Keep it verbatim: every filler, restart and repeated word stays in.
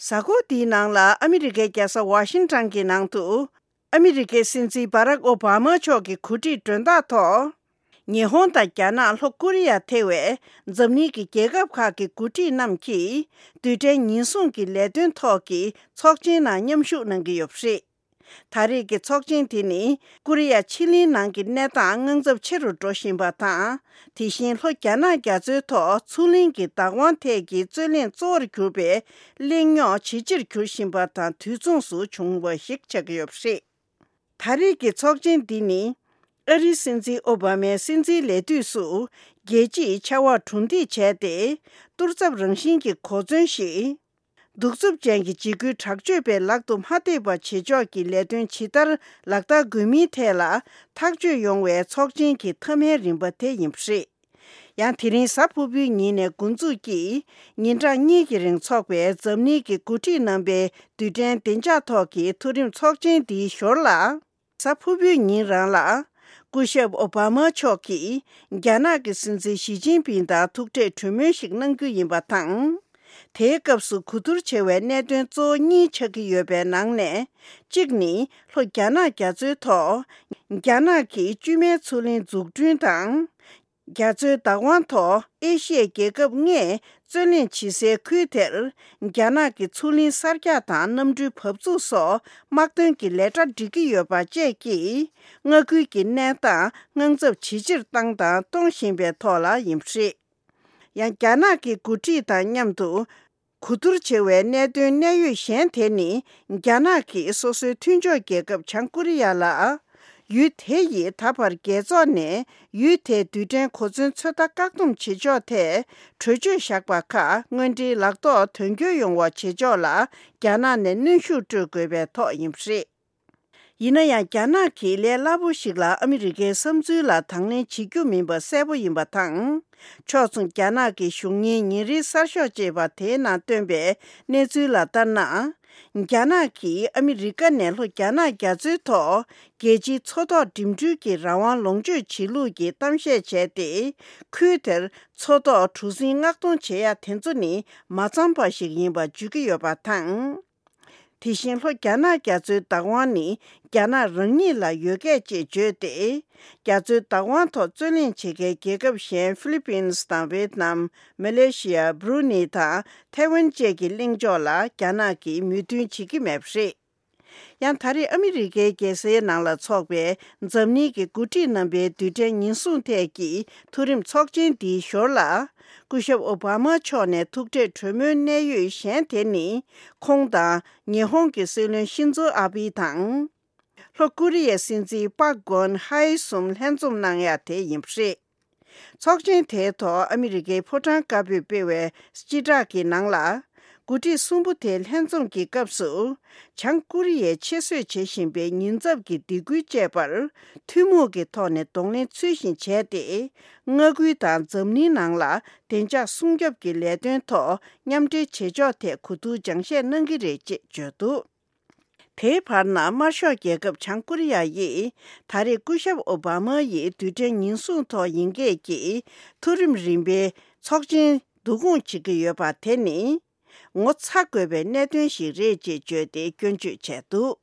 གཟའ་འཁོར་འདིའི་ནང་ལ་ཨ་མི་རི་ཀའི་རྒྱལ་ས་ཝ་ཤིང་ཊོན་གྱི་ནང་དུ། ཨ་མི་རི་ཀའི་སྲིད་འཛིན་བྷ་རག་ཨོ་བྷ་མ་མཆོག་གི་གོ་སྒྲིག་མགྲོན་བདག་ཐོག་ཉི་ཧོང་དང་རྒྱ་ནག་ལྷོ་ཀོ་རི་ཡ་ཐེ་བའི་འཛམ་གླིང་གི་རྒྱལ་ཁབ་ཁག་གི་འགོ་ཁྲིད་རྣམས་ཀྱིས་རྡུལ་ཕྲན་ཉེན་སྲུང་གི་ལས་དོན་ཐོག་གི་ཚོགས་ཆེན་ནང་མཉམ་ཞུགས་གནང་གི་ཡོད་པ་རེད། ད་རེས་ཀྱི་ཚོགས་ཆེན་དེ་ནི་ཀོ་རི་ཡ་ཕྱེད་གླིང་ནང་གི་གནས་སྟངས་དངངས་འཚབ་ཆེ་རུ་འགྲོ་བཞིན་པ་དང་། དེ་བཞིན་ལྷོ་རྒྱ་ནག་རྒྱ་མཚོའི་ཐོག་མཚོ་གླིང་གི་བདག་དབང་ཐད་ཀྱི་རྩོད་གླེང་གཙོ་བོར་གྱུར་པའི་གླེང་རྙོག་ཇེ་ཆེར་གྱུར་བཞིན་པ་དང་དུས་མཚུངས་སུ་བྱུང་བ་ཞིག་ཆགས་ཀྱི་ཡོད་པ་རེད། ད་རེས་ཀྱི་ཚོགས་ཆེན་འདི་ནི་ཨ་རིའི་སྲིད་འཛིན་ཨོ་བྷ་མའི་སྲིད་འཛིན་ལས་དུས་སུ་རྒྱལ་སྤྱིའི་ཕྱར་བ་གྲུ་འདེགས་བྱས་ཏེ། གཏོར་ཚབ་རང་བཞིན་གྱི་གོ་མཚོན་ཞིག་གདུག་རྩུབ་ཅན་གྱི་འཇིགས་སྐུལ་དྲག་སྤྱོད་པའི་ལག་ཏུ་མ་ཐེབས་པ་བྱེད་ཕྱོགས་ཀྱི་ལས་དོན་ཇི་ལྟར་ལག་བསྟར་དགོས་མིན་ཐད་ལ་ཐག་གཅོད་ཡོང་བའི་ཚོགས་ཆེན་གྱི་མཐའ་མའི་རིམ་པ་དེ་ཡིན་པ་རེད། ཡང་དེ་རིང་གཟའ་ཕུར་བུའི་ཉིན་ནས་འགོ་འཛུགས་ཀྱིས་ཉིན་གྲངས་གཉིས་ཀྱི་རིང་འཚོགས་པའི་འཛམ་གླིང་གི་འགོ་ཁྲིད་རྣམ་པའི་རྡུལ་ཕྲན་བདེ་འཇགས་ཐོག་གི་མཐོ་རིམ་ཚོགས་ཆེན་འདིའི་ཞོར་ལ། གཟའ་ཕུར་བུའི་ཉིན་རང་ལ། སྐུ་ཞབས་ཨོ་བྷ་མ་མཆོག་གིས་རྒྱ་ནག་གི་སྲིད་འཛིན་ཞི་ཅིན་ཕིང་དང་ཐུག་འཕྲད་གྲོས་མོལ་ཞིག་གནང་རྒྱུ་ཡིན་པ་དང་། དེའི་སྐབས་སུ་གོ་བསྡུར་བྱེད་པའི་གནད་དོན་གཙོ་བོ་གཉིས་ཆགས་ཀྱི་ཡོད་པའི་ནང་ནས། གཅིག་ནི་ལྷོ་རྒྱ་ནག་རྒྱ་མཚོའི་ཐོག་རྒྱ་ནག་གིས་བཅོས་མའི་མཚོ་གླིང་འཛུགས་སྐྲུན་དང་། རྒྱ་མཚོའི་བདག་དབང་ཐོག་ཨེ་ཤི་ཡའི་རྒྱལ་ཁབ་ལྔས་རྩོད་གླེང་བྱེད་སའི་ཁུལ་དེར། རྒྱ་ནག་གི་མཚོ་གླིང་གསར་རྒྱག་དང་གནམ་གྲུའི་བབས་ཚུགས་སོགས་དམག་དོན་གྱི་ལས་གྲྭ་སྒྲིག་གི་ཡོད་པ་བཅས་ཀྱིས། མངའ་ཁུལ་གྱི་གནས་སྟངས་དངངས་འཚབ་ཇེ་ཆེར་བཏང་དང་གཏོང་བཞིན་པའི་ཐོག་ལ་ཡིན་པ་རེད། ཡང་རྒྱ་ནག་གི་འགོ་ཁྲིད་དང་མཉམ་དུ། གོ་བསྡུར་བྱེད་པའི་གནད་དོན་གནད་ཡོད་གཞན་དེ་ནི། རྒྱ་ནག་གིས་སོ་སོའི་མཐུན་ཕྱོགས་རྒྱལ་ཁབ་བྱང་ཀོ་རི་ཡ་ལ། ཡུལ་དེ་ཡིས་ད་བར་རྒྱལ་ཚོགས་ནས་ཡུལ་དེའི་རྡུལ་ཕྲན་གོ་མཚོན་ཚོད་ལྟ་བཀག་སྡོམ་བྱེད་ཕྱོགས་ཐད་གྲོས་ཆོད་བཞག་པ་ཁག་དངོས་འབྲེལ་ལག་ཐོག་དོན་འཁྱོལ་ཡོང་བ་བྱེད་ཕྱོགས་ལ་རྒྱ་ནག་ནས་གནོན་ཤུགས་སྤྲོད་དགོས་པའི་ཐོག་ཡིན་པ་རེད། ཡིན་ན་ཡང་རྒྱ་ནག་གིས་ལས་སླ་པོ་ཞིག་ལ་ཨ་མི་རི་ཀའི་བསམ་ཚུལ་ལ་དང་ལེན་བྱེད་རྒྱུ་མིན་པ་གསལ་པོ་ཡིན་པ་དང་། ཕྱོགས་མཚུངས་རྒྱ་ནག་གི་གཞུང་གཉེར་ཉིན་རེའི་གསར་ཤོག་ཅེས་པ་དེའི་ནང་བཏོན་པའི་གནས་ཚུལ་ལ་ལྟར་ན། རྒྱ་ནག་གིས་ཨ་མི་རི་ཀ་ནས་ལྷོ་རྒྱ་ནག་རྒྱ་མཚོའི་ཐོག་རྒྱལ་སྤྱིའི་མཚོ་ཐོག་འགྲིམ་འགྲུལ་གྱི་རང་དབང་ལོངས་སྤྱོད་བྱེད་ལུགས་ཀྱི་གཏམ་བཤད་བྱས་ཏེ། ཁུལ་དེར་མཚོ་ཐོག་གྲུ་གཟིངས་མངགས་གཏོང་བྱེད་ཡ་དེ་ཚོ་ནི་མ་འཚམས་པ་ཞིག་ཡིན་པ་བརྗོད་ཀྱི་ཡོད་པ་དང་། དེ་བཞིན་ལྷོ་རྒྱ་ནག་རྒྱ་མཚོའི་བདག་དབང་ནི་རྒྱ་ནག་རང་ཉིད་ལ་ཡོད་སྐད་ཅེས་བརྗོད་དེ། རྒྱ་མཚོའི་བདག་དབང་ཐོག་རྩོད་གླེང་བྱེད་མཁན་རྒྱལ་ཁབ་གཞན་ཧྥི་ལི་པིན་དང་ཝེད་ནམ། མ་ལེ་ཤི་ཡ། བྷ་རུ་ནི་དང་ཐའེ་ཝན་བཅས་ཀྱི་གླེང་ཕྱོགས་ལ་རྒྱ་ནག་གིས་མོས་མཐུན་བྱེད་ཀྱི་མེད་པ་རེད། ཡང་ད་རེས་ཨ་མི་རི་ཀའི་རྒྱལ་སའི་ནང་ལ་འཚོགས་པའི་འཛམ་གླིང་གི་འགོ་ཁྲིད་རྣམ་པའི་རྡུལ་ཕྲན་ཉེན་སྲུང་ཐད་ཀྱི་མཐོ་རིམ་ཚོགས་ཆེན་འདིའི་ཞོར་ལ། སྐུ་ཞབས་ཨོ་བྷ་མ་མཆོག་ནས་ཐུག་འཕྲད་གྲོས་མོལ་གནད་ཡོད་གཞན་དེ་ནི། ཁོང་དང་ཉི་ཧོང་གི་སྲིད་བློན་ཤིན་ཛོ་ཨ་བྷི་དང་། ལྷོ་ཀོ་རི་ཡའི་སྲིད་འཛིན་པག་གོན་ཧའེ་གསུམ་ལྷན་འཛོམས་གནང་ཡ་དེ་ཡིན་པ་རེད། ཚོགས་ཆེན་དེའི་ཐོག་ཨ་མི་རི་ཀའི་ཕོ་བྲང་དཀར་པོས་སྤེལ་བའི་སྤྱི་བསྒྲགས་ཀྱི་ནང་ལ། འགོ་ཁྲིད་གསུམ་པོ་དེ་ལྷན་འཛོམས་ཀྱི་སྐབས་སུ། བྱང་ཀོ་རི་ཡས་ཆེད་བཟོས་བྱེད་བཞིན་པའི་ཉེན་ཚབས་ཀྱི་སྡིགས་སྐུལ་བཅས་པར་ཐུན་མོང་གི་ཐོག་ནས་གདོང་ལེན་ཚུལ་བཞིན་བྱས་ཏེ། མངའ་ཁུལ་དང་འཛམ་གླིང་ནང་ལ་བདེ་འཇགས་སྲུང་སྐྱོབ་ཀྱི་ལས་དོན་ཐོག་མཉམ་འབྲེལ་བྱེད་ཕྱོགས་ཐད་གོ་བསྡུར་སྦྱང་བཤད་གནང་གི་རེད་ཅེས་བརྗོད་འདུག་དེའི་བར་ན་དམར་ཤོག་རྒྱལ་ཁབ་བྱང་ཀོ་རི་ཡ་ཡིས་ད་རེས་སྐུ་ཞབས་ཨོ་བྷ་མ་ཡིས་རྡུལ་ཕྲན་ཉེན་སྲུང་ཐོག་ཡིན་སྐད་ཀྱི་མཐོ་རིམ་རིམ་པའི་ཚོགས་ཆེན་བསྡུ་སྐོང་བྱེད་ཀྱི་ཡོད་པ་དེ་ནི་ངོ་ཚ་དགོས་པའི་གནད་དོན་ཞིག་རེད་ཅེས་བརྗོད་དེ་སྐྱོན་བརྗོད་བྱས་འདུག